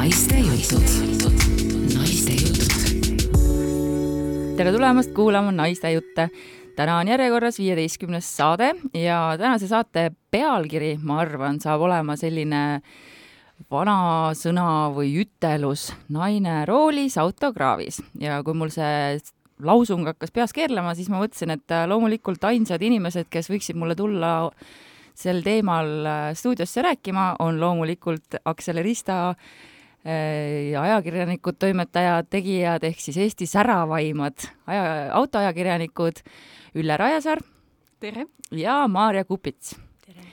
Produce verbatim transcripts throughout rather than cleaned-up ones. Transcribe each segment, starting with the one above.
Naiste jutud. Naiste jutud. Tere tulemast kuulama Naiste jutte. Täna on järjekorras viieteistkümnes saade ja tänase saate pealkiri, ma arvan, saab olema selline vana sõna või ütelus naine roolis autokraavis. Ja kui mul see lausung hakkas peas keerlema, siis ma mõtlesin, et loomulikult ainsad inimesed, kes võiksid mulle tulla sel teemal stuudiosse rääkima, on loomulikult Aksel Rista ja ajakirjanikud, toimetajad, tegijad ehk siis Eesti säravaimad aja, autoajakirjanikud Ülle Rajasaar. Tere. Ja Maarja Kupits. Tere.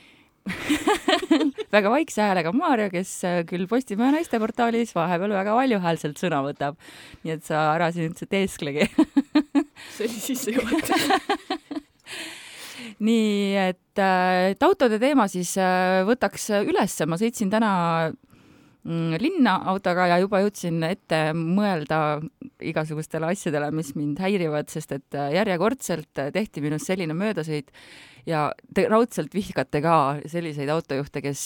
Väga vaikse häälega Maarja, kes küll Postimehe naisteportaalis vahepeal väga valjuhäälselt sõna võtab. Nii et sa ära siin üldse teesklegi. See oli sisse juhatav. Nii, et, et autode teema siis võtaks üles. Ma sõitsin täna linna autoga ja juba jõudsin ette mõelda igasugustele asjadele, mis mind häirivad, sest et järjekordselt tehti minust selline möödasõit ja te raudselt vihkate ka selliseid autojuhte, kes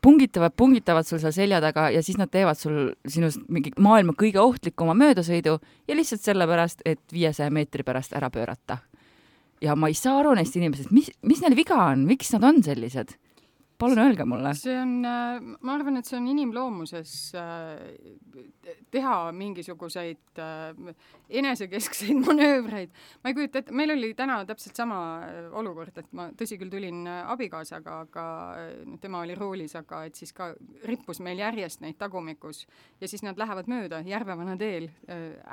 pungitavad, pungitavad sul seal selja taga ja siis nad teevad sul sinust mingi maailma kõige ohtlikuma möödasõidu ja lihtsalt sellepärast, et viiesaja meetri pärast ära pöörata. Ja ma ei saa aru neist inimesed, mis, mis neil viga on, miks nad on sellised? Palun öelge mulle. See on, ma arvan, et see on inimloomuses teha mingisuguseid enesekeskseid manöövreid. Ma ei kujuta, et meil oli täna täpselt sama olukord, et ma tõsi küll tulin abikaasaga, aga tema oli roolis, aga et siis ka rippus meil järjest neid tagumikus ja siis nad lähevad mööda Järvevana teel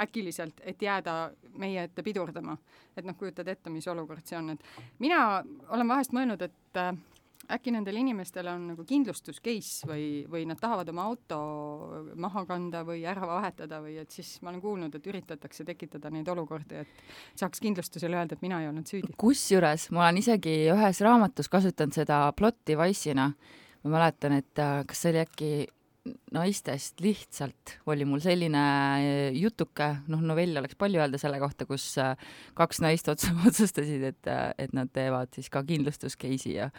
äkiliselt, et jääda meie ette pidurdama. Et noh, kujutad ette, mis olukord see on. Et mina olen vahest mõelnud, et äkki nendel inimestel on nagu kindlustuscase või, või nad tahavad oma auto maha kanda või ära vahetada või et siis ma olen kuulnud, et üritatakse tekitada neid olukordi, et saaks kindlustusele öelda, et mina ei olnud süüdi. Kusjuures ma olen isegi ühes raamatus kasutanud seda plot device'ina. Ma mäletan, et kas see oli äkki naistest lihtsalt oli mul selline jutuke, noh novell oleks palju öelda selle kohta, kus kaks naist otsustasid, et, et nad teevad siis ka kindlustuscase'i ja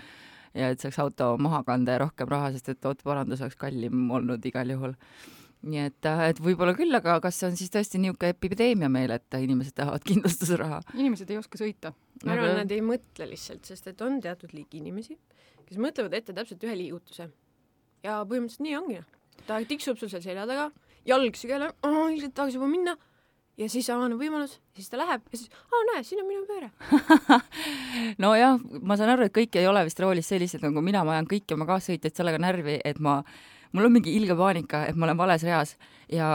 ja et saaks auto maha kanda ja rohkem raha, sest et autoparandus oleks kallim olnud igal juhul. Nii et, et võib-olla küll, aga kas see on siis tõesti niisugune epideemia meil, et inimesed tahavad kindlustusraha? Inimesed ei oska sõita. Ma arvan, nad ei mõtle lihtsalt, sest et on teatud liik inimesi, kes mõtlevad ette täpselt ühe liigutuse. Ja põhimõtteliselt nii ongi. Ta tiksub sul seal selja taga, jalg sügele, oh, ilmselt tahaks juba minna. Ja siis avaneb võimalus, siis ta läheb ja siis, aa näe, siin on minu pööre. No jah, ma saan aru, et kõik ei ole vist roolis sellised, nagu mina, ma ajan kõiki oma kaassõitjaid sellega närvi, et ma, mul on mingi ilge paanika, et ma olen vales reas ja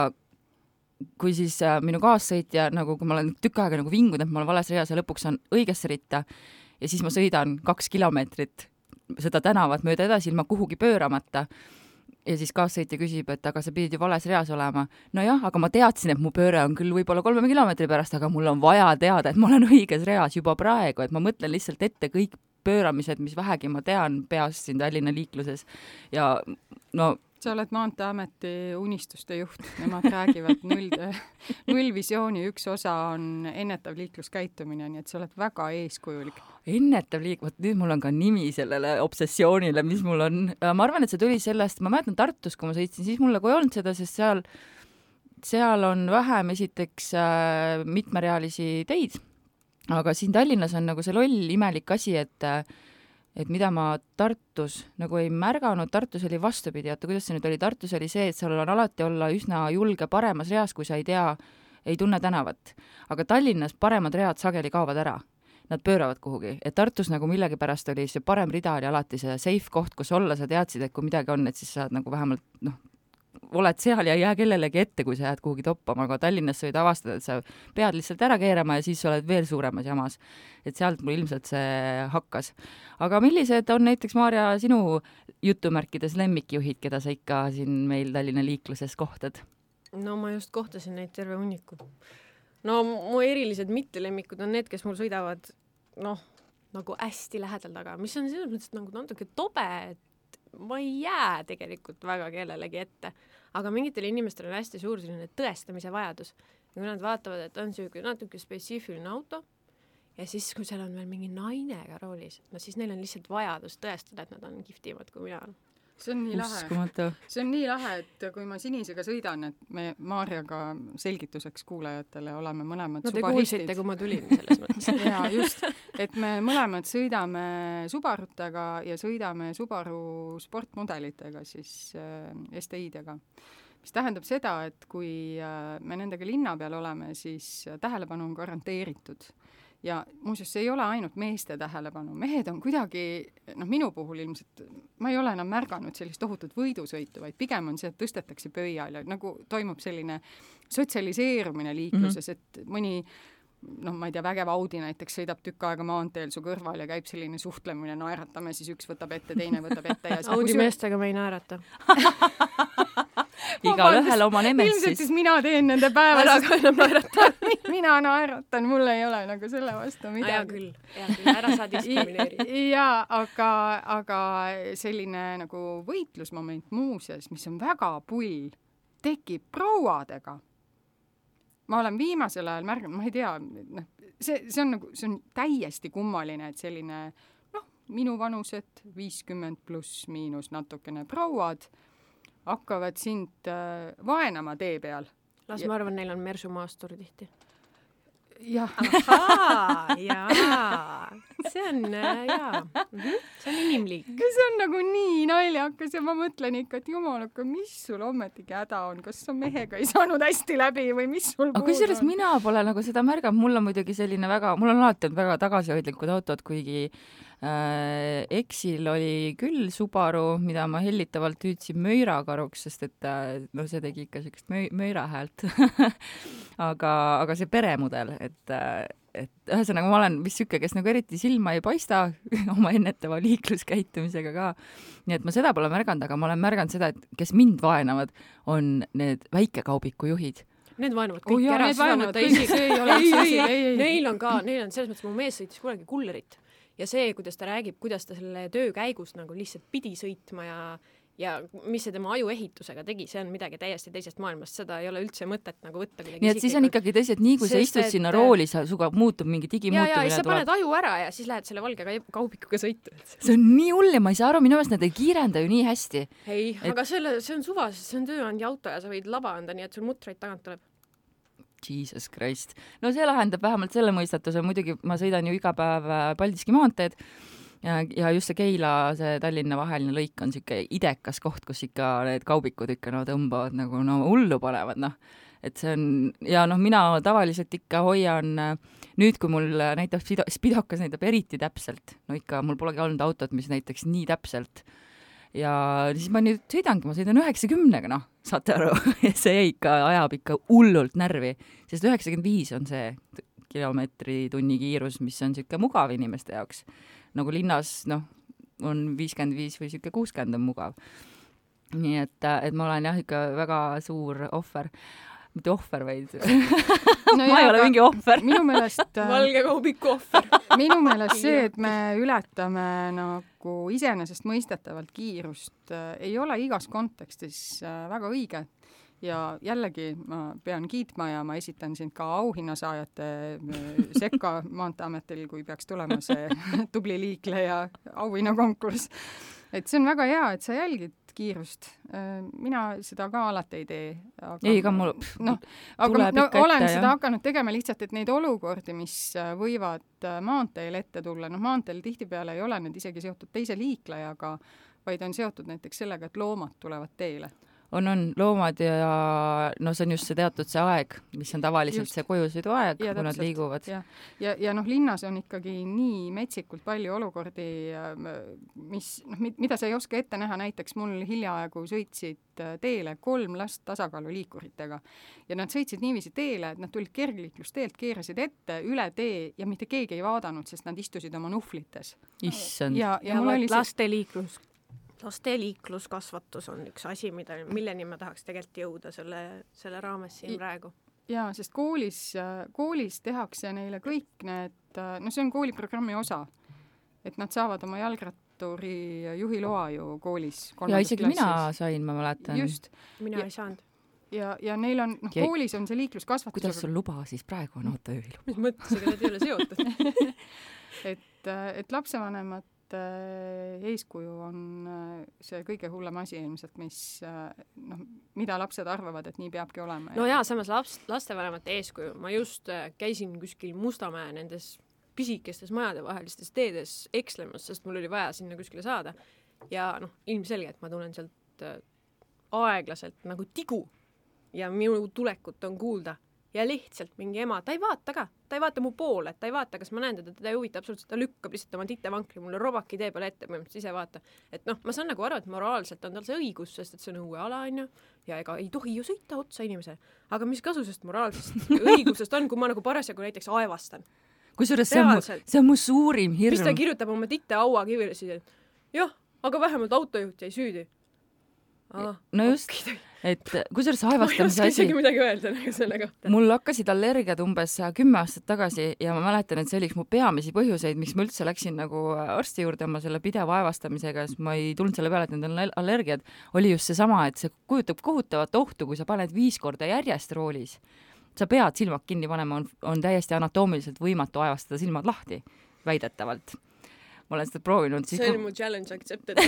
kui siis äh, minu kaassõitja, nagu kui ma olen tükk aega nagu vingunud, et ma olen vales reas ja lõpuks on õigesse ritta ja siis ma sõidan kaks kilomeetrit seda tänavat mööda edasi ilma kuhugi pööramata. Ja siis kaassõitja küsib, et aga sa pidid ju vales reas olema. No jah, aga ma teadsin, et mu pööre on küll võib-olla kolme kilomeetri pärast, aga mul on vaja teada, et ma olen õiges reas juba praegu, et ma mõtlen lihtsalt ette kõik pööramised, mis vähegi ma tean peas siin Tallinna liikluses. Ja no sa oled Maanteeameti unistuste juht. Nemad räägivad null, nullvisiooni üks osa on ennetav liikluskäitumine, nii et sa oled väga eeskujulik. Ennetav liik, võt nüüd mul on ka nimi sellele obsessioonile, mis mul on. Ma arvan, et see tuli sellest, ma mäletan Tartus, kui ma sõitsin, siis mul nagu ei olnud seda, sest seal, seal on vähem esiteks äh, mitmerealisi teid. Aga siin Tallinnas on nagu see loll imelik asi, et et mida ma Tartus nagu ei märganud, Tartus oli vastupidi, oota, kuidas see nüüd oli, Tartus oli see, et seal on alati olla üsna julge paremas reas, kui sa ei tea, ei tunne tänavat. Aga Tallinnas paremad read sageli kaovad ära. Nad pööravad kuhugi. Et Tartus nagu millegi pärast oli see parem rida oli alati see safe koht, kus olla, sa teadsid, et kui midagi on, et siis saad nagu vähemalt, noh, oled seal ja ei jää kellelegi ette, kui sa jääd kuhugi toppama, aga Tallinnas sa võid avastada, et sa pead lihtsalt ära keerama ja siis oled veel suuremas jamas. Et sealt mul ilmselt see hakkas. Aga millised on näiteks, Maarja, sinu jutumärkides lemmikjuhid, keda sa ikka siin meil Tallinna liikluses kohtad? No ma just kohtasin neid terve hunniku. No mu erilised mittelemmikud on need, kes mul sõidavad noh, nagu hästi lähedal taga, mis on selles mõttes nagu natuke tobe, et ma ei jää tegelikult väga kellelegi ette, aga mingitel inimestel on hästi suur selline tõestamise vajadus. Ja kui nad vaatavad, et on see natuke spetsiifiline auto ja siis, kui seal on veel mingi naine ka roolis, no siis neil on lihtsalt vajadus tõestada, et nad on kihvtimad kui mina. see on nii lahe. Uskumatu. See on nii lahe, et kui ma Sinisega sõidan, et me Maarjaga selgituseks kuulajatele oleme mõlemad no, subaristid. No te kuulsite, kui ma tulin selles mõttes. Jaa, just. Et me mõlemad sõidame Subarutega ja sõidame Subaru sportmudelitega, siis äh, S T I-dega. Mis tähendab seda, et kui äh, me nendega linna peal oleme, siis tähelepanu on garanteeritud. Ja muuseas, see ei ole ainult meeste tähelepanu. Mehed on kuidagi, noh minu puhul ilmselt, ma ei ole enam märganud sellist tohutut võidusõitu, vaid pigem on see, et tõstetakse pöial ja nagu toimub selline sotsialiseerumine liikluses, mm-hmm. et mõni, noh ma ei tea, vägev Audi näiteks sõidab tükk aega maanteel su kõrval ja käib selline suhtlemine, naeratame, siis üks võtab ette, teine võtab ette. Ja Audi meestega me ei naerata. Igal ühel oma nemessis. Ilmselt siis mina teen nende päeva. Ära ka enam naerata. Mina naeratan, mul ei ole nagu selle vastu midagi. Aja küll, ja küll, ära saa diskrimineeri. Ja, aga, aga selline nagu võitlusmoment muuseas, mis on väga pull, tekib prouadega. Ma olen viimasel ajal märganud, ma ei tea, noh, see, see on nagu, see on täiesti kummaline, et selline, noh, minu vanused viiskümmend pluss miinus natukene prouad hakkavad sind äh, vaenama tee peal. Las ja... ma arvan, neil on Mersu maastur tihti. Jah. Ahaa, jaa. See on, jaa. Mm-hmm. See on inimlik. See on nagu nii naljakas ja ma mõtlen ikka, et jumalaka, mis sul ometigi häda on? Kas sa mehega ei saanud hästi läbi või mis sul puud on? Aga kusjuures mina pole nagu seda märganud. Mul on muidugi selline väga, mul on alati väga tagasihoidlikud autod, kuigi äh, Exil oli küll Subaru, mida ma hellitavalt hüüdsin möirakaruks, sest et äh, no see tegi ikka sellist möi, möira häält. aga, aga see peremudel, et, et ühesõnaga ma olen vist süke, kes nagu eriti silma ei paista oma ennetava liikluskäitumisega ka. Nii et ma seda pole märganud, aga ma olen märganud seda, et kes mind vaenavad, on need väikekaubiku juhid. Need vaenavad kõik oh, jah, ära. Need vaenavad kõik, see ei ole ei, ei, ei, ei. Neil on ka, neil on selles mõttes, mu mees sõitis kunagi kullerit ja see, kuidas ta räägib, kuidas ta selle töö käigus nagu lihtsalt pidi sõitma ja ja mis see tema ajuehitusega tegi, see on midagi täiesti teisest maailmast, seda ei ole üldse mõtet nagu võtta kuidagi. Nii et siis on ikkagi tõsi, et nii kui Sest, sa istud sinna et... rooli, sa suga muutub mingi digimuutumine. Ja, ja, ja sa paned aju ära ja siis lähed selle valge kaubikuga sõitu. See on nii hull ja ma ei saa aru, minu meelest nad ei kiirenda ju nii hästi. Ei, et... aga selle, see on suva, see on tööandja auto ja sa võid laba anda, nii et sul mutraid tagant tuleb. Jesus Christ. No see lahendab vähemalt selle mõistatuse. Muidugi ma sõidan ju iga päev Paldiski maanteed ja, ja just see Keila, see Tallinna vaheline lõik on siuke idekas koht, kus ikka need kaubikud ikka no tõmbavad nagu no hullu panevad, noh. Et see on, ja noh, mina tavaliselt ikka hoian, nüüd kui mul näitab spidokas näitab eriti täpselt, no ikka mul polegi olnud autot, mis näitaks nii täpselt. Ja siis ma nüüd sõidangi, ma sõidan üheksakümnega, noh, saate aru, see ikka ajab ikka hullult närvi, sest üheksakümmend viis on see kilomeetri tunni kiirus, mis on siuke mugav inimeste jaoks. Nagu linnas, noh, on viiskümmend viis või siuke kuuskümmend on mugav. Nii et, et ma olen jah ikka väga suur ohver. Mitte ohver, vaid no ma jah, ei ole mingi ohver. Minu meelest valge kaubiku ohver. Minu meelest see, et me ületame nagu iseenesest mõistetavalt kiirust, ei ole igas kontekstis väga õige. Ja jällegi ma pean kiitma ja ma esitan sind ka auhinnasaajate sekka Maanteeametil, kui peaks tulema see tubli liikleja auhinnakonkurss. Et see on väga hea, et sa jälgid kiirust. Mina seda ka alati ei tee. Aga, ei, ka mul no, aga no, olen ette, seda jah. Hakanud tegema lihtsalt, et neid olukordi, mis võivad maanteel ette tulla, noh maanteel tihtipeale ei ole need isegi seotud teise liiklejaga, vaid on seotud näiteks sellega, et loomad tulevad teele. On, on loomad ja no see on just see teatud see aeg, mis on tavaliselt just. See kojusõidu aeg, kui täpselt. Nad liiguvad. Ja, ja, ja noh, linnas on ikkagi nii metsikult palju olukordi, mis, noh, mida sa ei oska ette näha, näiteks mul hiljaaegu sõitsid teele kolm last tasakaaluliikuritega ja nad sõitsid niiviisi teele, et nad tulid kergliiklusteelt, keerasid ette üle tee ja mitte keegi ei vaadanud, sest nad istusid oma nuhvlites. Issand. Ja, ja, ja oli laste liiklus Laste liikluskasvatus on üks asi, mida, milleni ma tahaks tegelikult jõuda selle, selle raames siin praegu. Jaa, sest koolis, koolis tehakse neile kõik need, no see on kooliprogrammi osa, et nad saavad oma jalgratturi juhiloa ju koolis. Ja isegi klassis. Mina sain, ma mäletan. Just. Mina ja, ei saanud. Ja, ja neil on, noh, ja, koolis on see liikluskasvatus. Kuidas sul luba siis praegu on autojuhiluba? Mis mõttes, ega need ei ole seotud? et, et lapsevanemad eeskuju on see kõige hullem asi ilmselt, mis, noh, mida lapsed arvavad, et nii peabki olema. No jaa, samas laps, lastevanemate eeskuju. Ma just käisin kuskil Mustamäe nendes pisikestes majadevahelistes teedes ekslemas, sest mul oli vaja sinna kuskile saada. Ja noh, ilmselgelt ma tulen sealt aeglaselt nagu tigu ja minu tulekut on kuulda. Ja lihtsalt mingi ema, ta ei vaata ka, ta ei vaata mu poole, ta ei vaata, kas ma näen teda, teda ei huvita absoluutselt, ta lükkab lihtsalt oma titevankri mulle robaki tee peale ette, põhimõtteliselt ise vaata. Et noh, ma saan nagu aru, et moraalselt on tal see õigus, sest et see on õue ala, on ju, ja ega ei tohi ju sõita otsa inimesele. Aga mis kasu sest moraalsest õigusest on, kui ma nagu parasjagu näiteks aevastan? Kusjuures see on, mu, see on mu suurim hirm. Mis ta kirjutab oma titte aua kivile siis, et jah, aga vähemalt autojuht jäi süüdi. Ah, no just, et kusjuures aevastamise asi... Ma ei oska midagi öelda selle kohta. Mul hakkasid allergiad umbes kümme aastat tagasi ja ma mäletan, et see oli üks mu peamisi põhjuseid, miks ma üldse läksin nagu arsti juurde oma selle pideva aevastamisega, sest ma ei tulnud selle peale, et need on allergiad, oli just see sama, et see kujutab kohutavat ohtu, kui sa paned viis korda järjest roolis. Sa pead silmad kinni panema, on, on täiesti anatoomiliselt võimatu aevastada silmad lahti, väidetavalt. Ma olen seda proovinud. See oli mu challenge accepted.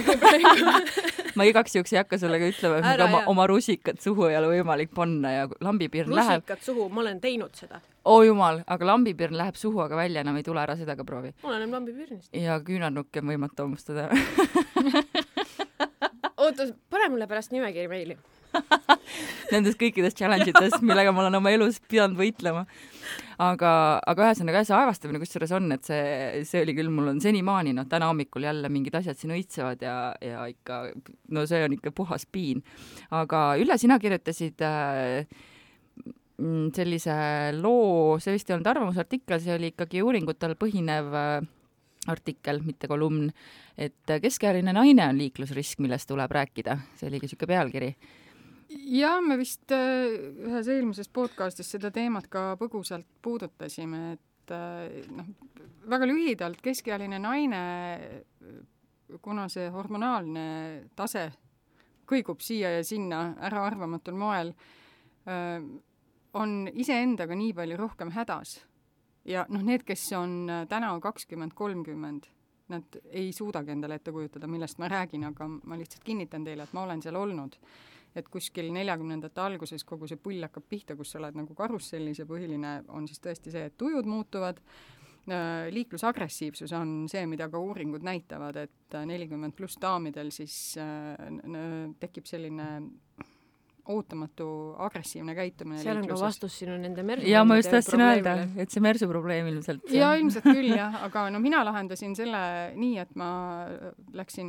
Ma igaks juhuks ei hakka sellega ütlema, et oma, oma rusikat suhu ei ole võimalik panna ja lambipirn rusikat läheb... Rusikat suhu, ma olen teinud seda. Oo jumal, aga lambipirn läheb suhu, aga välja enam ei tule ära seda ka proovi. Ma olen lambipirnist. Ja küünarnukke on võimatu omustada. Oota, pane mulle pärast nimekiri meili. Nendest kõikidest challenge'itest, millega ma olen oma elus pidanud võitlema. Aga, aga ühesõnaga see aevastamine, kus selles on, et see, see oli küll, mul on senimaani, no täna hommikul jälle mingid asjad siin õitsevad ja, ja ikka, no see on ikka puhas piin. Aga Ülle, sina kirjutasid äh, sellise loo, see vist ei olnud arvamusartikkel, see oli ikkagi uuringutel põhinev äh, artikkel, mitte kolumn, et keskealine naine on liiklusrisk, millest tuleb rääkida. See oligi siuke pealkiri. Ja me vist ühes eelmises podcastis seda teemat ka põgusalt puudutasime, et noh, väga lühidalt keskealine naine, kuna see hormonaalne tase kõigub siia ja sinna äraarvamatul moel, on iseendaga nii palju rohkem hädas. Ja noh, need, kes on täna kakskümmend kolmkümmend, nad ei suudagi endale ette kujutada, millest ma räägin, aga ma lihtsalt kinnitan teile, et ma olen seal olnud. Et kuskil neljakümnendate alguses kogu see pull hakkab pihta, kus sa oled nagu karussellis ja põhiline on siis tõesti see, et tujud muutuvad. Liiklusagressiivsus on see, mida ka uuringud näitavad, et nelikümmend pluss daamidel siis tekib selline ootamatu agressiivne käitumine. Seal on ka vastus sinu nende mersu. Ja ma just tahtsin öelda, et see mersu probleem ilmselt. Ja ilmselt küll, jah. Aga no mina lahendasin selle nii, et ma läksin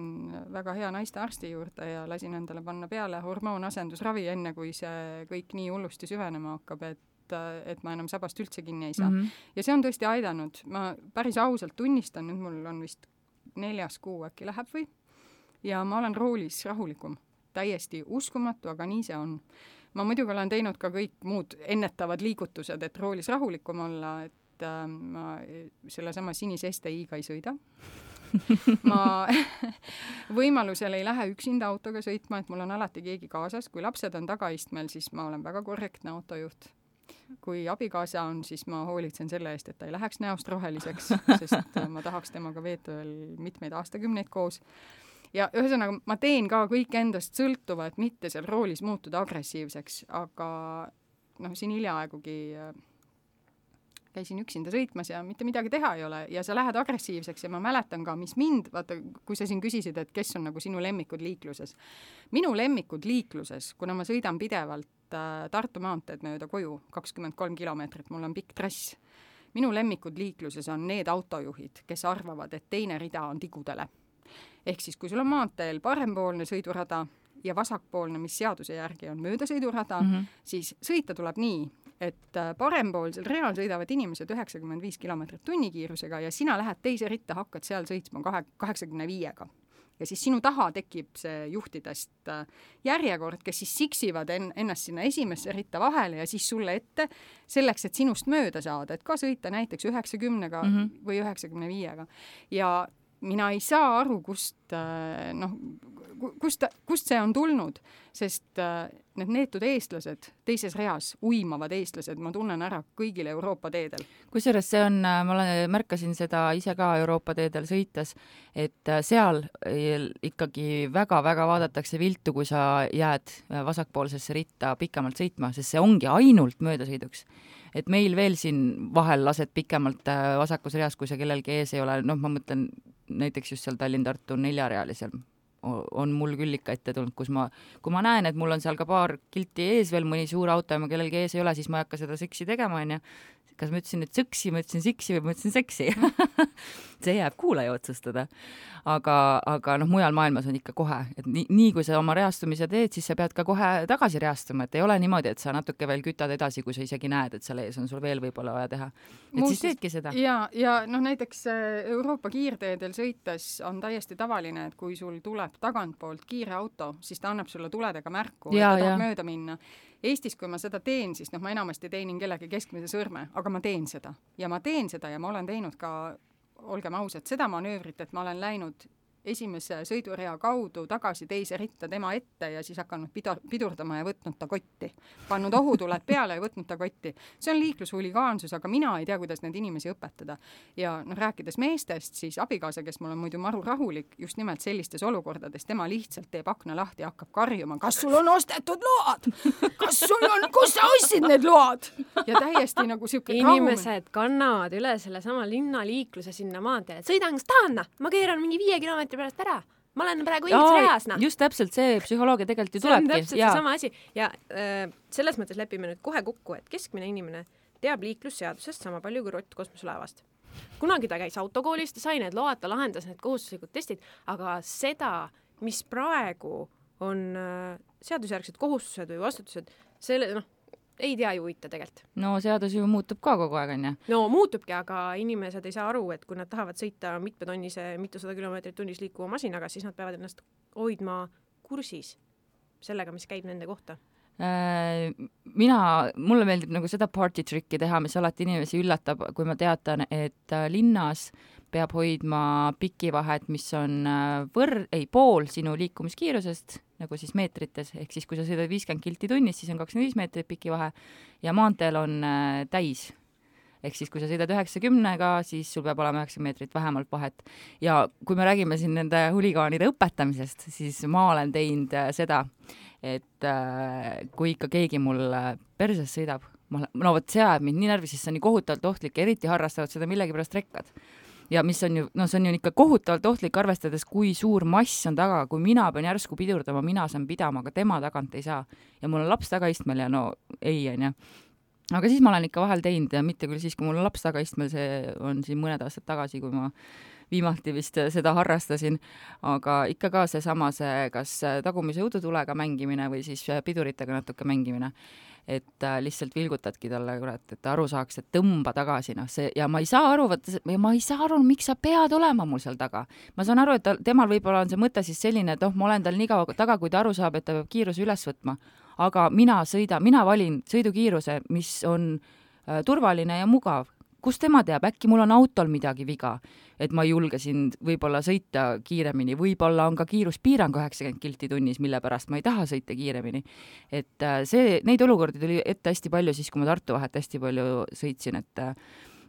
väga hea naiste arsti juurde ja lasin endale panna peale hormoonasendusravi enne, kui see kõik nii hullusti süvenema hakkab, et, et ma enam sabast üldse kinni ei saa. Mm-hmm. Ja see on tõesti aidanud. Ma päris ausalt tunnistan, nüüd mul on vist neljas kuu äkki läheb või. Ja ma olen roolis rahulikum. Täiesti uskumatu, aga nii see on. Ma muidugi olen teinud ka kõik muud ennetavad liigutused, et roolis rahulikum olla, et äh, ma selle sama sinise S T I-ga ei sõida. Ma võimalusel ei lähe üksinda autoga sõitma, et mul on alati keegi kaasas. Kui lapsed on tagaistmel, siis ma olen väga korrektne autojuht. Kui abikaasa on, siis ma hoolitsen selle eest, et ta ei läheks näost roheliseks, sest ma tahaks temaga veeta veel mitmeid aastakümneid koos. Ja ühesõnaga, ma teen ka kõik endast sõltuva, et mitte seal roolis muutuda agressiivseks, aga noh, siin hiljaaegugi käisin üksinda sõitmas ja mitte midagi teha ei ole ja sa lähed agressiivseks ja ma mäletan ka, mis mind, vaata, kui sa siin küsisid, et kes on nagu sinu lemmikud liikluses. Minu lemmikud liikluses, kuna ma sõidan pidevalt äh, Tartu maanteed mööda koju, kakskümmend kolm kilomeetrit, mul on pikk trass. Minu lemmikud liikluses on need autojuhid, kes arvavad, et teine rida on tigudele. Ehk siis, kui sul on maanteel parempoolne sõidurada ja vasakpoolne, mis seaduse järgi on möödasõidurada, mm-hmm. siis sõita tuleb nii, et parempoolsel real sõidavad inimesed üheksakümmend viis kilomeetrit tunnikiirusega ja sina lähed teise ritta, hakkad seal sõitsma kaheksakümne viiega. Ja siis sinu taha tekib see juhtidest järjekord, kes siis siksivad ennast sinna esimesse ritta vahele ja siis sulle ette selleks, et sinust mööda saada, et ka sõita näiteks üheksakümnega mm-hmm. või üheksakümne viiega. Ja mina ei saa aru, kust, noh, kust, kust see on tulnud, sest äh, need neetud eestlased teises reas, uimavad eestlased, ma tunnen ära kõigil Euroopa teedel. Kusjuures see on, ma olen, märkasin seda ise ka Euroopa teedel sõites, et seal ikkagi väga-väga vaadatakse viltu, kui sa jääd vasakpoolsesse ritta pikemalt sõitma, sest see ongi ainult möödasõiduks. Et meil veel siin vahel lased pikemalt vasakus reas, kui sa kellelgi ees ei ole, noh, ma mõtlen näiteks just seal Tallinn-Tartu neljarealisel on mul küll ikka ette tulnud, kus ma, kui ma näen, et mul on seal ka paar kilti ees veel mõni suur auto ja ma kellelgi ees ei ole, siis ma ei hakka seda seksi tegema, on ju. Kas ma ütlesin nüüd sõksi, ma ütlesin siksi või ma ütlesin seksi. See jääb kuulaja otsustada. Aga, aga noh, mujal maailmas on ikka kohe. Et nii, nii kui sa oma reastumise teed, siis sa pead ka kohe tagasi reastuma. Et ei ole niimoodi, et sa natuke veel kütad edasi, kui sa isegi näed, et seal ees on sul veel võib-olla vaja teha. Et Muus, siis teedki seda. Ja, ja noh, näiteks Euroopa kiirteedel sõites on täiesti tavaline, et kui sul tuleb tagantpoolt kiire auto, siis ta annab sulle tuledega märku, ja, et ta tahab mööda minna. Eestis, kui ma seda teen, siis noh, ma enamasti teenin kellegi keskmise sõrme, aga ma teen seda. Ja ma teen seda ja ma olen teinud ka, olgem ausad, seda manöövrit, et ma olen läinud esimese sõidurea kaudu tagasi teise ritta tema ette ja siis hakanud pidur, pidurdama ja võtnud ta kotti. Pannud ohutuled peale ja võtnud ta kotti. See on liiklushuligaansus, aga mina ei tea, kuidas neid inimesi õpetada. Ja noh, rääkides meestest, siis abikaasa, kes mul on muidu maru rahulik, just nimelt sellistes olukordades, tema lihtsalt teeb akna lahti ja hakkab karjuma. Kas sul on ostetud load? Kas sul on, kus sa ostsid need load? Ja täiesti nagu siuke inimesed kannavad üle selle sama linnaliikluse sinna maanteele. Sõidan, kas tahan? Ma keeran mingi viie kilomeetri pärast ära. Ma olen praegu õiges reas. No. Just täpselt see psühholoogia tegelikult ju tulebki. See on täpselt ja. see sama asi. Ja äh, selles mõttes lepime nüüd kohe kokku, et keskmine inimene teab liiklusseadusest sama palju kui rott kosmoselaevast. Kunagi ta käis autokoolis, ta sai need load, ta lahendas need kohustuslikud testid, aga seda, mis praegu on äh, seadusjärgsed kohustused või vastutused, selle, noh, ei tea ju uita tegelikult. No seadus ju muutub ka kogu aeg, on ju? No muutubki, aga inimesed ei saa aru, et kui nad tahavad sõita mitmetonnise, mitusada kilomeetrit tunnis liikuva masinaga, siis nad peavad ennast hoidma kursis sellega, mis käib nende kohta. Mina, mulle meeldib nagu seda party tricki teha, mis alati inimesi üllatab, kui ma teatan, et linnas peab hoidma pikivahet, mis on võr-, ei, pool sinu liikumiskiirusest, nagu siis meetrites, ehk siis kui sa sõidad viiskümmend kilti tunnis, siis on kakskümmend viis meetrit pikivahe ja maanteel on täis. Ehk siis kui sa sõidad üheksakümnega, siis sul peab olema üheksakümmend meetrit vähemalt vahet. Ja kui me räägime siin nende huligaanide õpetamisest, siis ma olen teinud seda, et kui ikka keegi mul perses sõidab, ma, no vot see ajab mind nii närvi, siis see on nii kohutavalt ohtlik, eriti harrastavad seda millegipärast rekkad. Ja mis on ju, no see on ju ikka kohutavalt ohtlik, arvestades, kui suur mass on taga, kui mina pean järsku pidurdama, mina saan pidama, aga tema tagant ei saa. Ja mul on laps tagaistmel ja no ei, on ju. Aga siis ma olen ikka vahel teinud ja mitte küll siis, kui mul on laps tagaistmel, see on siin mõned aastad tagasi, kui ma viimati vist seda harrastasin, aga ikka ka see sama see, kas tagumise õudutulega mängimine või siis piduritega natuke mängimine. Et äh, lihtsalt vilgutadki talle, kurat, et ta aru saaks, et tõmba tagasi, noh, see, ja ma ei saa aru, võtta, ma ei saa aru, miks sa pead olema mul seal taga. Ma saan aru, et ta, temal võib-olla on see mõte siis selline, et oh, ma olen tal nii kaua taga, kui ta aru saab, et ta peab kiiruse üles võtma. Aga mina sõida, mina valin sõidukiiruse, mis on äh, turvaline ja mugav. Kus tema teab, äkki mul on autol midagi viga, et ma julgesin võib-olla sõita kiiremini, võib-olla on ka kiiruspiirang üheksakümmend kilti tunnis, mille pärast ma ei taha sõita kiiremini. Et see, neid olukordi tuli ette hästi palju siis, kui ma Tartu vahet hästi palju sõitsin, et,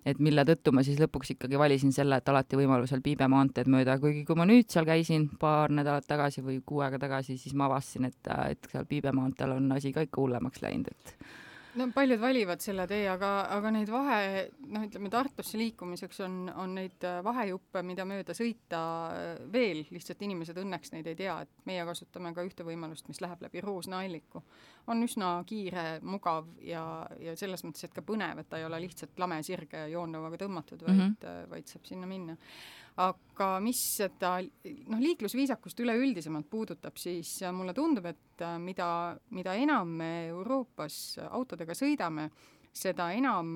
et mille tõttu ma siis lõpuks ikkagi valisin selle, et alati võimalusel Piibe maanteed mööda, kuigi kui ma nüüd seal käisin paar nädalat tagasi või kuu aega tagasi, siis ma avastasin, et, et seal Piibe maanteel on asi ka ikka hullemaks läinud, et no paljud valivad selle tee, aga, aga neid vahe, noh ütleme Tartusse liikumiseks on, on neid vahejuppe, mida mööda sõita veel, lihtsalt inimesed õnneks neid ei tea, et meie kasutame ka ühte võimalust, mis läheb läbi Roosna alliku. On üsna kiire, mugav ja, ja selles mõttes, et ka põnev, et ta ei ole lihtsalt lame sirge joonlauaga tõmmatud, vaid, mm-hmm. vaid saab sinna minna. Aga mis seda noh, liiklusviisakust üleüldisemalt puudutab, siis mulle tundub, et mida, mida enam me Euroopas autodega sõidame, seda enam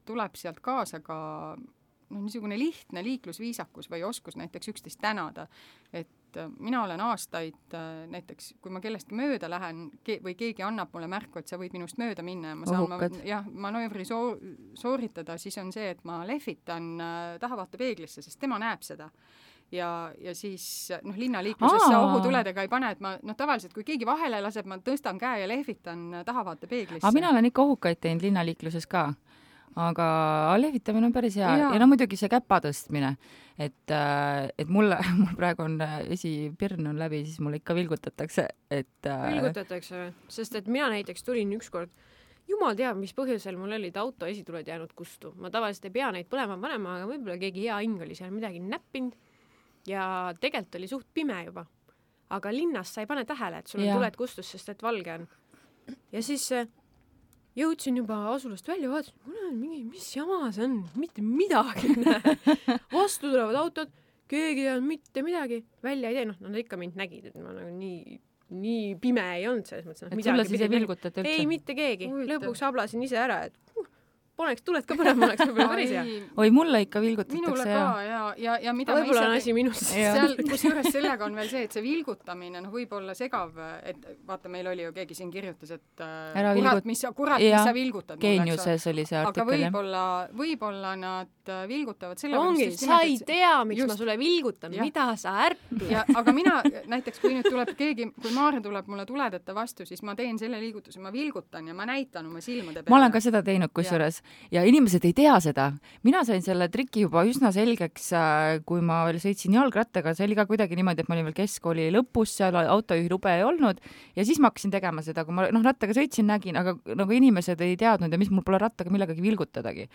tuleb sealt kaasa ka noh, niisugune lihtne liiklusviisakus või oskus näiteks üksteist tänada. Et mina olen aastaid näiteks, kui ma kellestki mööda lähen ke- või keegi annab mulle märku, et sa võid minust mööda minna ja ma saan ma, jah, manöövri soo- sooritada, siis on see, et ma lehvitan tahavaatepeeglisse, sest tema näeb seda. ja, ja siis noh, linnaliikluses Aa. ohutuledega ei pane, et ma noh, tavaliselt kui keegi vahele laseb, ma tõstan käe ja lehvitan tahavaatepeeglisse. aga mina olen ikka ohukaid teinud linnaliikluses ka. Aga lehvitamine on päris hea ja, ja no muidugi see käpa tõstmine, et, et mulle, mul praegu on esipirn on läbi, siis mulle ikka vilgutatakse, et vilgutatakse, sest et mina näiteks tulin ükskord, jumal teab, mis põhjusel mul olid auto esituled jäänud kustu. Ma tavaliselt ei pea neid põlema panema, aga võib-olla keegi hea hing oli seal midagi näppinud ja tegelikult oli suht pime juba. Aga linnas sa ei pane tähele, et sul on tuled kustus, sest et valge on. Ja siis jõudsin juba asulast välja, vaatasin, mul on mingi, mis jama see on, mitte midagi näe. Vastu tulevad autod, keegi ei olnud mitte midagi, välja ei tee, noh, nad ikka mind nägid, et ma nagu nii, nii pime ei olnud selles mõttes. Et sulle siis ei vilgutat üldse? Ei, mitte keegi. Lõpuks hablasin ise ära, et poneks tuled ka põlema, oleks võib-olla päris hea. Oi, mulle ikka vilgutatakse. Minule ka, ja, ja, ja mida võib-olla on asi minust. Seal, kus juures sellega on veel see, et see vilgutamine, noh, võib olla segav, et vaata, meil oli ju keegi siin kirjutas, et Ära kurat, vilgut... mis sa, kurat, mis sa vilgutad. Geeniuses oli see artikkel. Aga võib-olla, võib-olla nad vilgutavad selle ongi, sa ei tea, miks just... ma sulle vilgutan, ja. Mida sa ärpla. Ja, aga mina, näiteks kui nüüd tuleb keegi, kui Maarja tuleb mulle tuledeta vastu, siis ma teen selle liigutuse, ma vilgutan ja ma näitan oma silmade peale. Ma olen ka seda teinud kusjuures ja inimesed ei tea seda. Mina sain selle triki juba üsna selgeks, kui ma veel sõitsin jalgrattaga, see oli ka kuidagi niimoodi, et ma olin veel keskkooli lõpus, seal autojuhi lube ei olnud ja siis ma hakkasin tegema seda, kui ma noh, rattaga sõitsin, nägin, aga nagu inimesed ei teadnud ja mis mul pole rattaga millegagi vilgutadagi.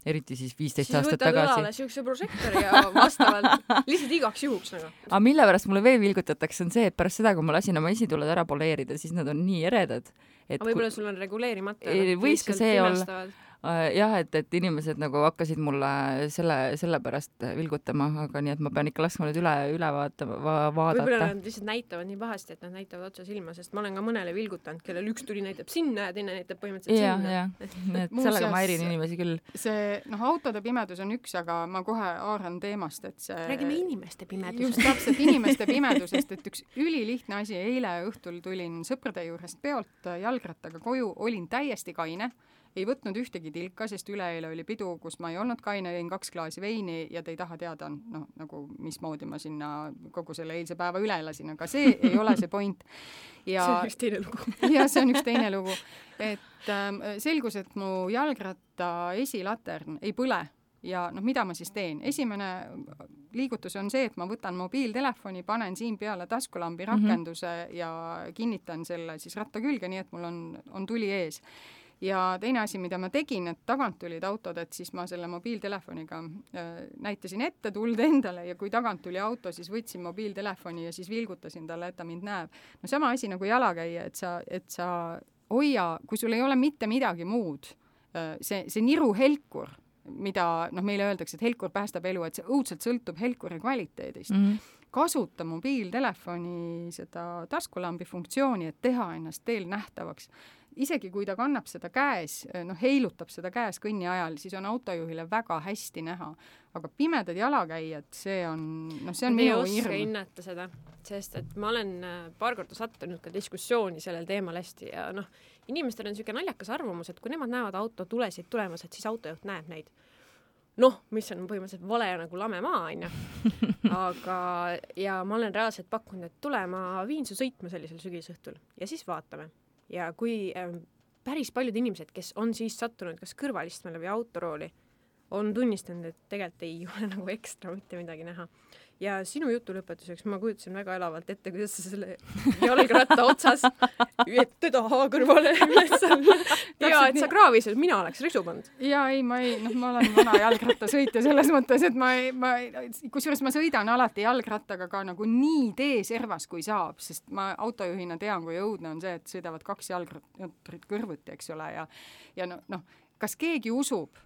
Eriti siis viisteist siis aastat tagasi. Siis võtad õlale siukse prožektori ja vastavalt lihtsalt igaks juhuks nagu. Aga mille pärast mulle veel vilgutatakse on see, et pärast seda, kui ma lasin oma esituled ära poleerida, siis nad on nii eredad. Et aga võib-olla kui... sul on reguleerimata. Võis ka see olla. Jah, et, et inimesed nagu hakkasid mulle selle, selle pärast vilgutama, aga nii, et ma pean ikka laskma nüüd üle, üle vaatama, va, vaadata. Võib-olla nad lihtsalt näitavad nii pahasti, et nad näitavad otsa silma, sest ma olen ka mõnele vilgutanud, kellel üks tuli näitab sinna ja teine näitab põhimõtteliselt ja, sinna. Ja, et sellega ma erin inimesi küll. See, noh, autode pimedus on üks, aga ma kohe haaran teemast, et see... Räägime inimeste pimedusest. Just täpselt inimeste pimedusest, et üks ülilihtne asi, eile õhtul tulin sõprade juurest peolt jalgrattaga koju, olin täiesti kaine, ei võtnud ühtegi tilka, sest üleeile oli pidu, kus ma ei olnud kaine, jõin kaks klaasi veini ja te ei taha teada, noh, nagu mismoodi ma sinna kogu selle eilse päeva üle elasin, aga see ei ole see point. Ja, see on üks teine lugu. Ja see on üks teine lugu. Et ähm, selgus, et mu jalgratta esilatern ei põle ja noh, mida ma siis teen? Esimene liigutus on see, et ma võtan mobiiltelefoni, panen siin peale taskulambi rakenduse mm-hmm. ja kinnitan selle siis ratta külge, nii et mul on, on tuli ees. Ja teine asi, mida ma tegin, et tagant tulid autod, et siis ma selle mobiiltelefoniga äh, näitasin ette tuld endale ja kui tagant tuli auto, siis võtsin mobiiltelefoni ja siis vilgutasin talle, et ta mind näeb. No sama asi nagu jalakäija, et sa, et sa hoia, kui sul ei ole mitte midagi muud, äh, see, see niru helkur, mida noh, meile öeldakse, et helkur päästab elu, et see õudselt sõltub helkuri kvaliteedist. Mm-hmm. Kasuta mobiiltelefoni seda taskulambi funktsiooni, et teha ennast teel nähtavaks. Isegi kui ta kannab seda käes, noh, heilutab seda käes kõnni ajal, siis on autojuhile väga hästi näha. Aga pimedad jalakäijad, see on, noh, see on minu hirm. Ei oska hinnata seda, sest et ma olen paar korda sattunud ka diskussiooni sellel teemal hästi ja noh, inimestel on selline naljakas arvamus, et kui nemad näevad auto tulesid tulemas, et siis autojuht näeb neid. Noh, mis on põhimõtteliselt vale nagu lame maa, on ju. Aga, ja ma olen reaalselt pakkunud, et tule, ma viin su sõitma sellisel sügisõhtul ja siis vaatame. Ja kui äh, päris paljud inimesed, kes on siis sattunud kas kõrvalistmele või autorooli, on tunnistanud, et tegelikult ei ole nagu ekstra mitte midagi näha. Ja sinu jutu lõpetuseks ma kujutasin väga elavalt ette, kuidas sa selle jalgratta otsas ette taha kõrvale ülesal. Ja, et sa kraavis, et mina oleks risu pannud. Ja ei, ma ei, noh, ma olen vana jalgratta sõitja selles mõttes, et ma ei, ma ei, kusjuures ma sõidan alati jalgrattaga ka nagu nii teeservas, kui saab, sest ma autojuhina tean, kui õudne on see, et sõidavad kaks jalgratturit kõrvuti, eks ole, ja, ja noh, no, kas keegi usub,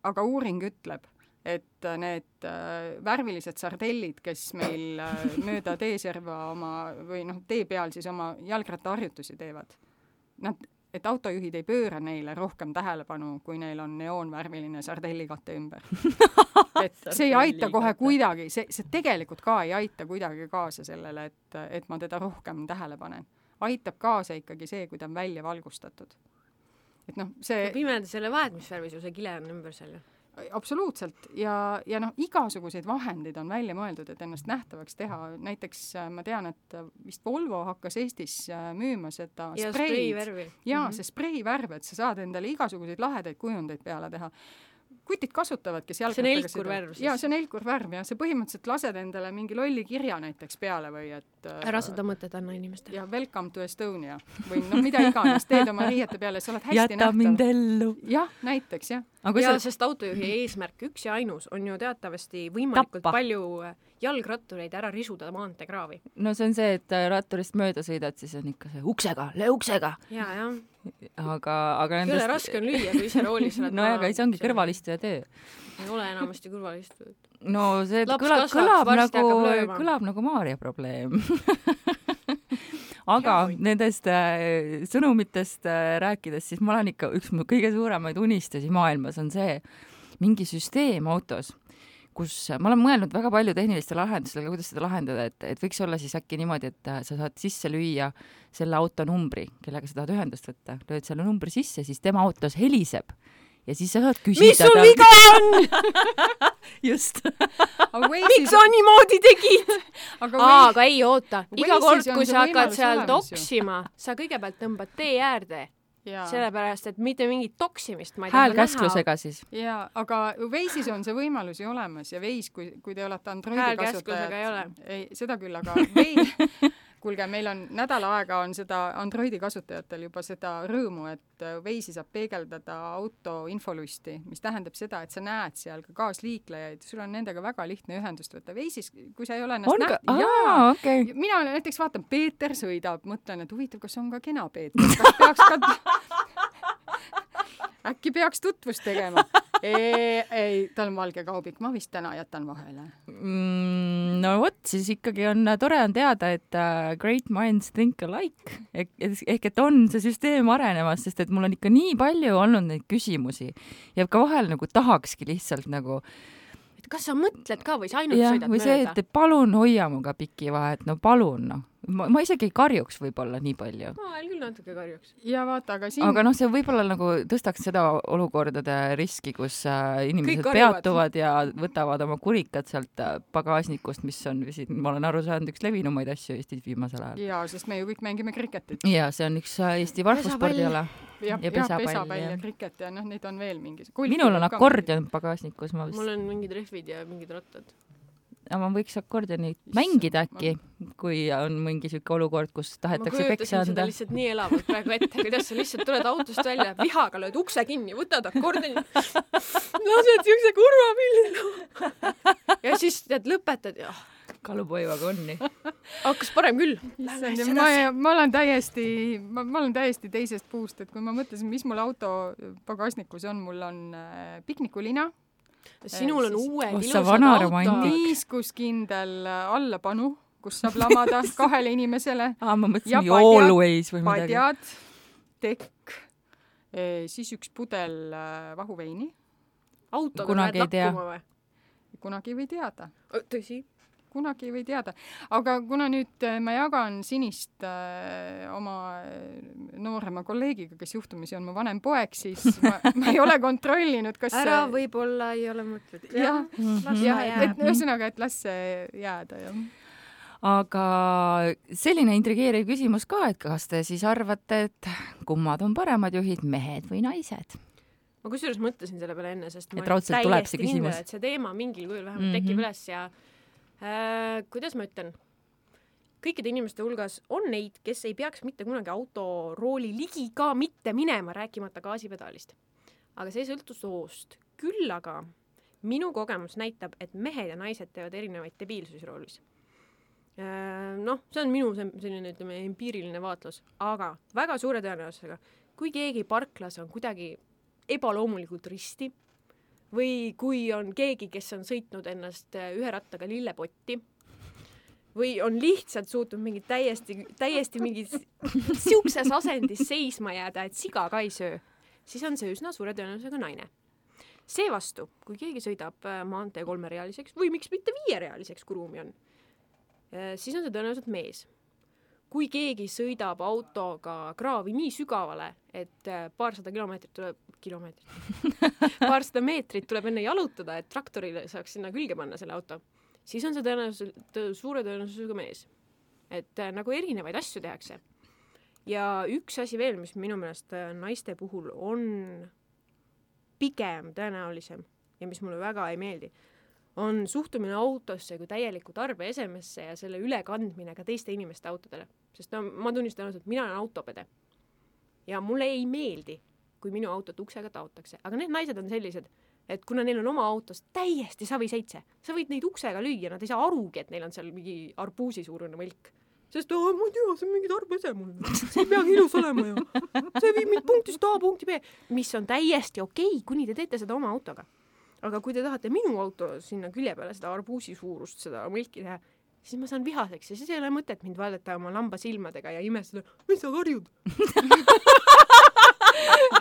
aga uuring ütleb, et need äh, värvilised sardellid, kes meil äh, mööda teeserva oma, või noh, tee peal siis oma jalgrattaharjutusi teevad, nad, et autojuhid ei pööra neile rohkem tähelepanu, kui neil on neoonvärviline sardellikatte ümber. Et see ei aita kohe kuidagi, see, see tegelikult ka ei aita kuidagi kaasa sellele, et, et ma teda rohkem tähele panen. Aitab kaasa ikkagi see, kui ta on välja valgustatud. Et noh, see... Pimeda selle vahet, mis värvi sul see kile on ümber selle? absoluutselt ja, ja noh, igasuguseid vahendeid on välja mõeldud, et ennast nähtavaks teha. Näiteks ma tean, et vist Volvo hakkas Eestis müüma seda ja spreid. spreivärvi. Ja mm-hmm. see spreivärv, et sa saad endale igasuguseid lahedaid kujundeid peale teha. Kutid kasutavad, kes jalgrattaga... See on elkurvärv. Jaa, see on elkurvärv ja see põhimõtteliselt lased endale mingi lolli kirja näiteks peale või et... Ära seda mõtet anna inimestele. Ja welcome to Estonia. Või noh, mida iganes, teed oma riiete peale, sa oled hästi Jäta nähtav. mind ellu. Jah, näiteks, jah. Aga ja sa... sest autojuhi eesmärk üks ja ainus on ju teatavasti võimalikult Tappa. palju jalgrattureid ära risuda maanteekraavi. No see on see, et ratturist mööda sõidad, siis on ikka see uksega, löö uksega. Ja, jah. Aga, aga nendest... Külle raske on lüüa, kui ise roolis oled. No aga see ongi kõrvalistuja töö. Ei ole enamasti kõrvalistuja. No see kõlab, kõlab, nagu, kõlab nagu Maaria probleem. Aga ja, nendest äh, sõnumitest äh, rääkides, siis ma olen ikka, üks mu kõige suuremaid unistusi maailmas on see mingi süsteem autos, kus ma olen mõelnud väga palju tehniliste lahendustele, kuidas seda lahendada, et, et võiks olla siis äkki niimoodi, et sa saad sisse lüüa selle auto numbri, kellega sa tahad ühendust võtta, lööd selle numbri sisse, siis tema autos heliseb ja siis sa saad küsida. Mis sul viga on? Just. Miks sa niimoodi tegid? Aga, Aa, aga ei oota. Iga kord, kui sa hakkad seal toksima, sa kõigepealt tõmbad tee äärde. Ja. Sellepärast, et mitte mingit toksimist ma ei hääl käsklusega siis. Jaa, aga Waze'is on see võimalus ju olemas ja Waze, kui, kui te olete Androidi hääl kasutajad... ei ole. Ei, seda küll, aga Waze... Kuulge, meil on nädala aega on seda Androidi kasutajatel juba seda rõõmu, et Waze'i saab peegeldada auto infolusti, mis tähendab seda, et sa näed seal ka kaasliiklejaid, sul on nendega väga lihtne ühendust võtta. Waze'is, kui sa ei ole ennast näht... Ka... Aa, okay. Mina näiteks vaatan, Peeter sõidab, mõtlen, et huvitav, kas on ka kena Peeter, kas peaks ka... Äkki peaks tutvust tegema. Ei, ei, tal on valge kaubik, ma vist täna jätan vahele. Mm, no vot, siis ikkagi on tore on teada, et uh, great minds think alike. Ehk, ehk et on see süsteem arenemas, sest et mul on ikka nii palju olnud neid küsimusi ja ka vahel nagu tahakski lihtsalt nagu kas sa mõtled ka või sa ainult ja, sõidad või mööda? See, et palun hoia muga piki vahet, no palun, noh. Ma, ma isegi ei karjuks võib-olla nii palju. Ma veel küll natuke karjuks. Ja vaata, aga siin... Aga noh, see võib-olla nagu tõstaks seda olukordade riski, kus äh, inimesed peatuvad ja võtavad oma kurikat sealt äh, pagasnikust, mis on, ma olen aru saanud, üks levinumaid asju Eestis viimasel ajal. Jaa, sest me ju kõik mängime kriketit. Jaa, see on üks Eesti varfuspordiala. Ja, ja pesapall ja, pesapall ja kriket ja noh, neid on veel mingis. Minul on akordion pagasnikus. Ma vist... Mul on mingid rehvid ja mingid rattad. Aga ma võiks akordionit mängida äkki, ma... kui on mingi süke olukord, kus tahetakse peksa anda. Ma kujutasin seda lihtsalt nii elavalt praegu ette, kuidas sa lihtsalt tuled autost välja, vihaga lööd ukse kinni, võtad akordioni. Lased siukse kurva pilli. Ja siis tead, lõpetad ja... Kalupoivaga onni. Hakkas parem küll. Ma, ma olen täiesti, ma, ma olen täiesti teisest puust, et kui ma mõtlesin, mis mul auto pagasnikus on, mul on äh, piknikulina. Sinul on siis, uued oh, ilusad auto. Niiskuskindel allapanu, kus saab lamada kahele inimesele. Ah, ma mõtlesin always või midagi. Padjad, tekk, siis üks pudel vahuveini. Autoga lähed lakkuma või? Kunagi ei või teada. Tõsi? Kunagi ei või teada. Aga kuna nüüd ma jagan sinist äh, oma noorema kolleegiga, kes juhtumisi on mu vanem poeg, siis ma, ma ei ole kontrollinud, kas ära võib-olla ei ole mõtled. Jah, mm-hmm. ja, et ühesõnaga, et las see jääda. Jah. Aga selline intrigeeriv küsimus ka, et kas te siis arvate, et kummad on paremad juhid, mehed või naised? Ma kusjuures mõtlesin selle peale enne, sest et ma täiesti kindel, et see teema mingil kujul vähemalt mm-hmm. tekib üles ja Äh, kuidas ma ütlen, kõikide inimeste hulgas on neid, kes ei peaks mitte kunagi autorooli ligi ka mitte minema, rääkimata gaasipedaalist. Aga see ei sõltu soost. Küll aga minu kogemus näitab, et mehed ja naised teevad erinevaid debiilsusroolis. Äh, noh, see on minu selline, ütleme, empiiriline vaatlus. Aga väga suure tõenäosusega, kui keegi parklas on kuidagi ebaloomulikult risti, või kui on keegi, kes on sõitnud ennast ühe rattaga lillepotti või on lihtsalt suutnud mingi täiesti, täiesti mingi siukses asendis seisma jääda, et siga ka ei söö, siis on see üsna suure tõenäosusega naine. Seevastu, kui keegi sõidab maantee kolmerealiseks või miks mitte viierealiseks, kui ruumi on, siis on see tõenäoliselt mees. kui keegi sõidab autoga kraavi nii sügavale, et paarsada kilomeetrit tuleb, kilomeetrit, paarsada meetrit tuleb enne jalutada, et traktorile saaks sinna külge panna selle auto, siis on see tõenäoliselt suure tõenäosusega mees. Et äh, nagu erinevaid asju tehakse. Ja üks asi veel, mis minu meelest naiste puhul on pigem tõenäolisem ja mis mulle väga ei meeldi, on suhtumine autosse kui täieliku tarbeesemesse ja selle ülekandmine ka teiste inimeste autodele. Sest no, ma tunnistan, et mina olen autopede. Ja mulle ei meeldi, kui minu autot uksega taotakse. Aga need naised on sellised, et kuna neil on oma autos täiesti savi seitse, sa võid neid uksega lüüa, nad ei saa arugi, et neil on seal mingi arbuusi suurune mõlk. Sest oh, ma ei tea, see on mingi tarbese mul. See ei peagi ilus olema ju. See viib mind punktist A punkti B, mis on täiesti okei, kuni te teete seda oma autoga. Aga kui te tahate minu auto sinna külje peale seda arbuusi suurust, seda mõlki teha, siis ma saan vihaseks ja siis ei ole mõtet mind vaadata oma lamba silmadega ja imestada, mis sa karjud?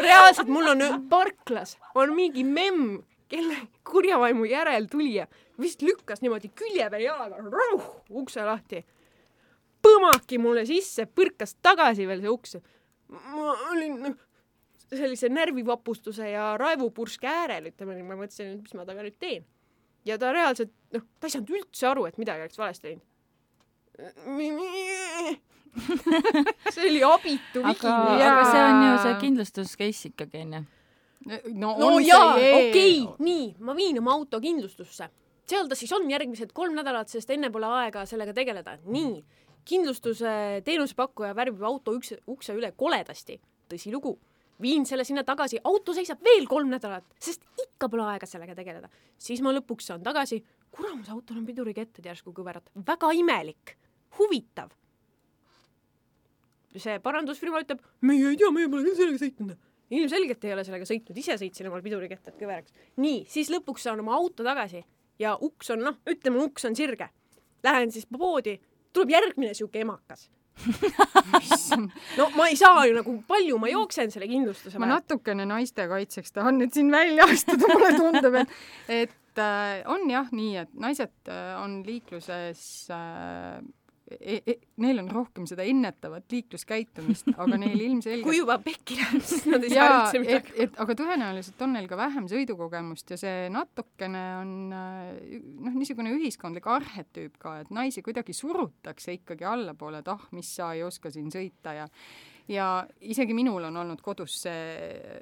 Reaalselt mul on parklas, on mingi memm, kelle kurjavaimu järel tulija, vist lükkas niimoodi külje peal jalaga, rauh, ukse lahti. Põmaki mulle sisse, põrkas tagasi veel see uks. Ma olin sellise närvivapustuse ja raevupurske äärel, ütleme, ma mõtlesin, mis ma taga nüüd teen. Ja ta reaalselt, noh, ta ei saanud üldse aru, et midagi oleks valesti teinud. See oli abitu aga, aga see on ju see kindlustuscase ikkagi, enne. No, no jaa, okei, okay. Nii, ma viin oma auto kindlustusse. Seal ta siis on järgmised kolm nädalat, sest enne pole aega sellega tegeleda. Nii, kindlustuse teenusepakkuja värvib auto ukse, ukse üle koledasti. Tõsi lugu. Viin selle sinna tagasi, auto seisab veel kolm nädalat, sest ikka pole aega sellega tegeleda. Siis ma lõpuks saan tagasi, kuramus autol on piduriketted järsku kõverat. Väga imelik, huvitav. See parandusfirma ütleb, meie ei tea, meie pole küll sellega sõitnud. Ilmselgelt ei ole sellega sõitnud, ise sõitsin omal piduriketted kõveraks. Nii, siis lõpuks saan oma auto tagasi ja uks on, noh, ütleme, uks on sirge. Lähen siis poodi, tuleb järgmine siuke emakas. No ma ei saa ju nagu palju ma jooksen selle kindlustuse. Ma natukene naiste kaitseks tahan nüüd siin välja astuda, mulle tundub, et, et äh, on jah nii, et naised äh, on liikluses äh, e, e, neil on rohkem seda ennetavat liikluskäitumist, aga neil ilmselgelt kui juba pekki läheb, siis nad ei saa üldse midagi. Et, et, aga tõenäoliselt on neil ka vähem sõidukogemust ja see natukene on noh, niisugune ühiskondlik arhetüüp ka, et naisi kuidagi surutakse ikkagi allapoole, et ah, mis sa ei oska siin sõita ja ja isegi minul on olnud kodus see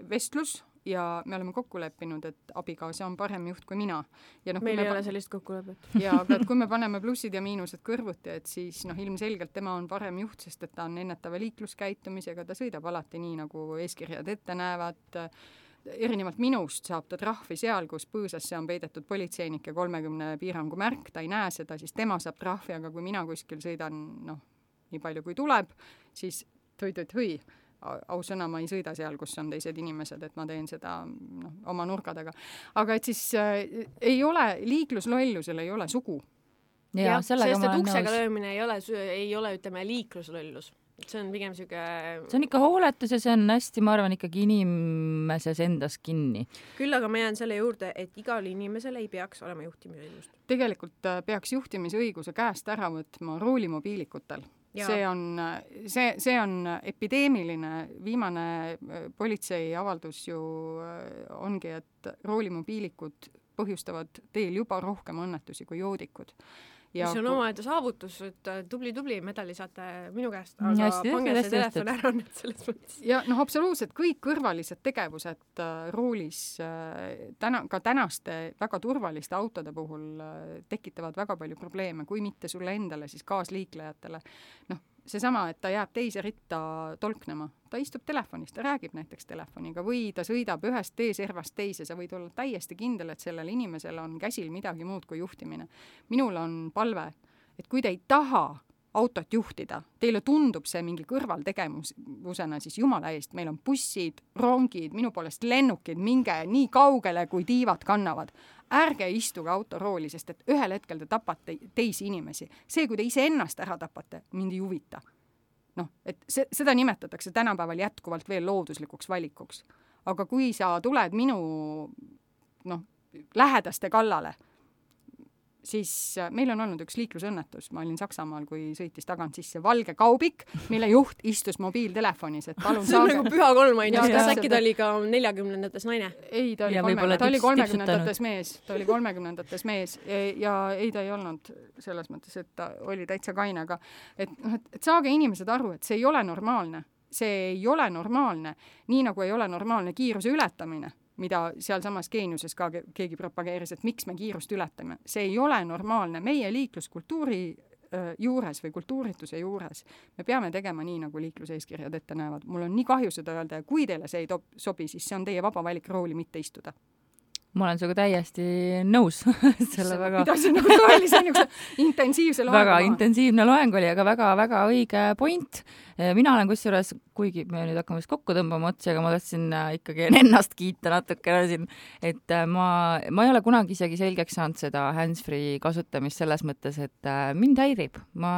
vestlus ja me oleme kokku leppinud, et abikaasa on parem juht kui mina. Ja noh, meil ei pa- ole sellist kokkulepet. Ja, aga et kui me paneme plussid ja miinused kõrvuti, et siis noh, ilmselgelt tema on parem juht, sest et ta on ennetava liikluskäitumisega, ta sõidab alati nii, nagu eeskirjad ette näevad. Erinevalt minust saab ta trahvi seal, kus põõsasse on peidetud politseinike kolmekümne piirangu märk, ta ei näe seda, siis tema saab trahvi, aga kui mina kuskil sõidan, noh, nii palju kui tuleb, siis tõi-tõi-tõi. Aus sõna, ma ei sõida seal, kus on teised inimesed, et ma teen seda no, oma nurkadega. Aga et siis äh, ei ole, liikluslollusel ei ole sugu. Ja, ja sest et uksega löömine ei ole, ei ole, ütleme, liikluslollus. See on pigem siuke... See on ikka hooletus ja see on hästi, ma arvan, ikkagi inimeses endas kinni. Küll aga ma jään selle juurde, et igal inimesel ei peaks olema juhtimisõigust. Tegelikult äh, peaks juhtimisõiguse käest ära võtma roolimobiilikutel. Ja. See on, see, see on epideemiline, viimane politsei avaldus ju ongi, et roolimobiilikud põhjustavad teel juba rohkem õnnetusi kui joodikud. Ja mis on kui... omaette saavutus, et tubli-tubli medali saate minu käest, aga hästi, pange see telefon ära nüüd selles mõttes. Ja noh, absoluutselt kõik kõrvalised tegevused äh, roolis äh, täna, ka tänaste väga turvaliste autode puhul äh, tekitavad väga palju probleeme, kui mitte sulle endale, siis kaasliiklejatele. Noh, seesama, et ta jääb teise ritta tolknema. Ta istub telefonis, ta räägib näiteks telefoniga või ta sõidab ühest teeservast teise. Sa võid olla täiesti kindel, et sellel inimesel on käsil midagi muud kui juhtimine. Minul on palve, et kui te ei taha autot juhtida, teile tundub see mingi kõrvaltegevusena, siis jumala eest, meil on bussid, rongid, minu poolest lennukid, minge nii kaugele, kui tiivad kannavad. Ärge istuge autorooli, sest et ühel hetkel te tapate teisi inimesi. See, kui te ise ennast ära tapate, mind ei huvita. Noh, et se, seda nimetatakse tänapäeval jätkuvalt veel looduslikuks valikuks. Aga kui sa tuled minu noh, lähedaste kallale, siis meil on olnud üks liiklusõnnetus, ma olin Saksamaal, kui sõitis tagant sisse valge kaubik, mille juht istus mobiiltelefonis, et palun see on saage. nagu püha kolm ainult, kas äkki ta oli ka neljakümnendates naine? Ei, ta oli, kolme, ta oli kolmekümnendates mees, ta oli kolmekümnendates mees ja ei, ta ei olnud selles mõttes, et ta oli täitsa kaine, aga et, et, et saage inimesed aru, et see ei ole normaalne. See ei ole normaalne, nii nagu ei ole normaalne kiiruse ületamine, mida sealsamas Geeniuses ka keegi propageeris, et miks me kiirust ületame. See ei ole normaalne. Meie liikluskultuuri juures või kultuurituse juures me peame tegema nii, nagu liikluseeskirjad ette näevad. Mul on nii kahju seda öelda ja kui teile see ei top, sobi, siis see on teie vaba valik rooli mitte istuda. Ma olen sinuga täiesti nõus. Selle väga... Pidasin nagu tõelise intensiivse loeng. Väga intensiivne loeng oli, aga väga-väga õige point. Mina olen kusjuures, kuigi me nüüd hakkame kokku tõmbama otsi, aga ma tahtsin ikkagi ennast kiita natukene siin, et ma, ma ei ole kunagi isegi selgeks saanud seda hands-free kasutamist selles mõttes, et mind häirib. Ma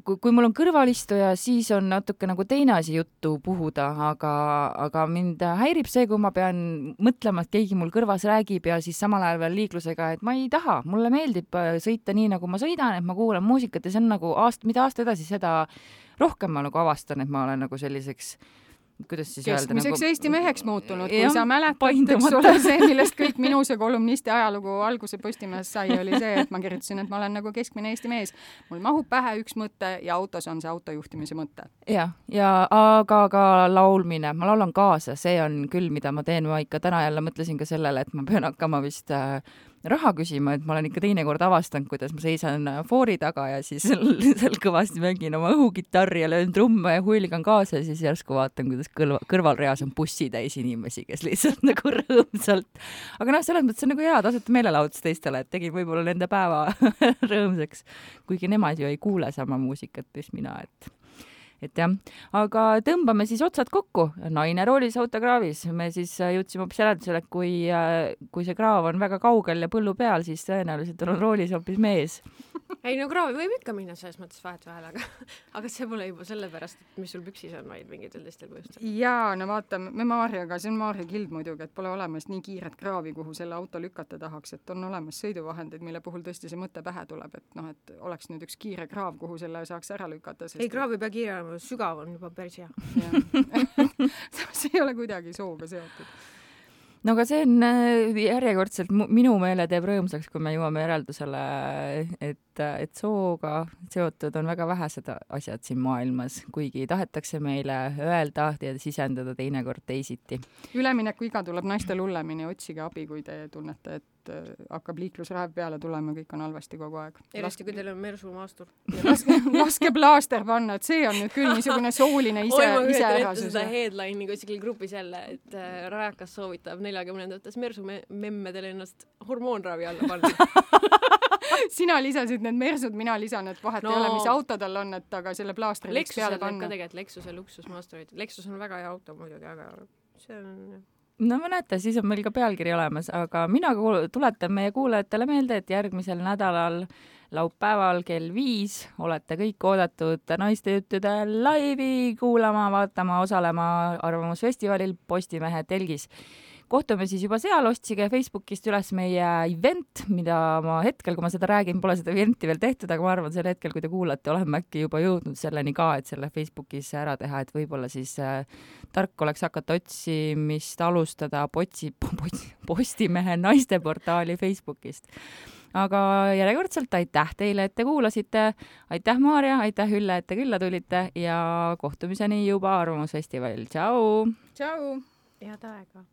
kui mul on kõrvalistuja, siis on natuke nagu teine asi juttu puhuda, aga, aga mind häirib see, kui ma pean mõtlema, et keegi mul kõrvas räägib ja siis samal ajal veel liiklusega, et ma ei taha, mulle meeldib sõita nii, nagu ma sõidan, et ma kuulan muusikat ja see on nagu aast, mida aasta edasi, seda rohkem ma nagu avastan, et ma olen nagu selliseks kuidas siis öelda keskmiseks nagu... Eesti meheks muutunud, kui ja, sa mäletad, eks ole see, millest kõik minu see kolumnisti ajalugu alguse Postimehes sai, oli see, et ma kirjutasin, et ma olen nagu keskmine Eesti mees. Mul mahub pähe üks mõte ja autos on see autojuhtimise mõte. Ja, ja aga ka laulmine, ma laulan kaasa, see on küll, mida ma teen, ma ikka täna jälle mõtlesin ka sellele, et ma pean hakkama vist äh, raha küsima, et ma olen ikka teinekord avastanud, kuidas ma seisan foori taga ja siis seal kõvasti mängin oma õhugitarri ja löön trumme ja huiligan kaasa ja siis järsku vaatan, kuidas kõrval, kõrvalreas on bussi täis inimesi, kes lihtsalt nagu rõõmsalt. Aga noh, selles mõttes on nagu hea tasuta meelelahutus teistele, et tegin võib-olla nende päeva rõõmsaks, kuigi nemad ju ei kuule sama muusikat, mis mina, et et jah, aga tõmbame siis otsad kokku. Naine roolis autokraavis. Me siis jõudsime hoopis järeldusele, et kui, kui see kraav on väga kaugel ja põllu peal, siis tõenäoliselt on roolis hoopis mees. Ei, no kraavi võib ikka minna selles mõttes vahet vahel, aga, aga see pole juba sellepärast, et mis sul püksis on, vaid mingitel teistel põhjustel. Jaa, no vaatame, me Maarjaga, see on Maarja kild muidugi, et pole olemas nii kiiret kraavi, kuhu selle auto lükata tahaks, et on olemas sõiduvahendid, mille puhul tõesti see mõte pähe tuleb, et noh, et oleks nüüd üks kiire kraav, kuhu selle saaks ära lükata. Sest... Ei, kraav ei pea kiire olema, sügav on juba päris hea. see ei ole kuidagi sooga seotud. No aga see on järjekordselt minu meele teeb rõõmsaks, kui me jõuame järeldusele, et, et sooga seotud on väga vähesed asjad siin maailmas, kuigi tahetakse meile öelda ja sisendada teinekord teisiti. Ülemineku iga tuleb naistel hullemini, otsige abi, kui te tunnete, et hakkab liiklusraev peale tulema, kõik on halvasti kogu aeg. Erasti, kui teil on mersu maastur. Laske, laske plaaster panna, et see on nüüd küll niisugune sooline ise, ise ärasus. Seda headline'i kuskil grupis jälle, et äh, rajakas soovitab neljakümnendates mersu me- memmedel ennast hormoonravi alla panna. Sina lisasid need mersud, mina lisan, et vahet no, ei ole, mis auto tal on, et aga selle plaastri võiks peale panna. Ka tegelikult Lexuse luksusmaasturid. Lexus on väga hea auto muidugi, aga see on... No ma näete, siis on meil ka pealkiri olemas, aga mina tuletan meie kuulajatele meelde, et järgmisel nädalal laupäeval kell viis olete kõik oodatud naistejuttude laivi kuulama, vaatama, osalema Arvamusfestivalil Postimehe telgis. Kohtume siis juba seal, otsige Facebookist üles meie event, mida ma hetkel, kui ma seda räägin, pole seda eventi veel tehtud, aga ma arvan, sel hetkel, kui te kuulate, oleme äkki juba jõudnud selleni ka, et selle Facebookis ära teha, et võib-olla siis äh, tark oleks hakata otsimist alustada potsi, potsi, Postimehe naisteportaali Facebookist. Aga järjekordselt aitäh teile, et te kuulasite. Aitäh, Maarja, aitäh, Ülle, et te külla tulite ja kohtumiseni juba Arvamusfestivalil. Tšau! Tšau! Head aega!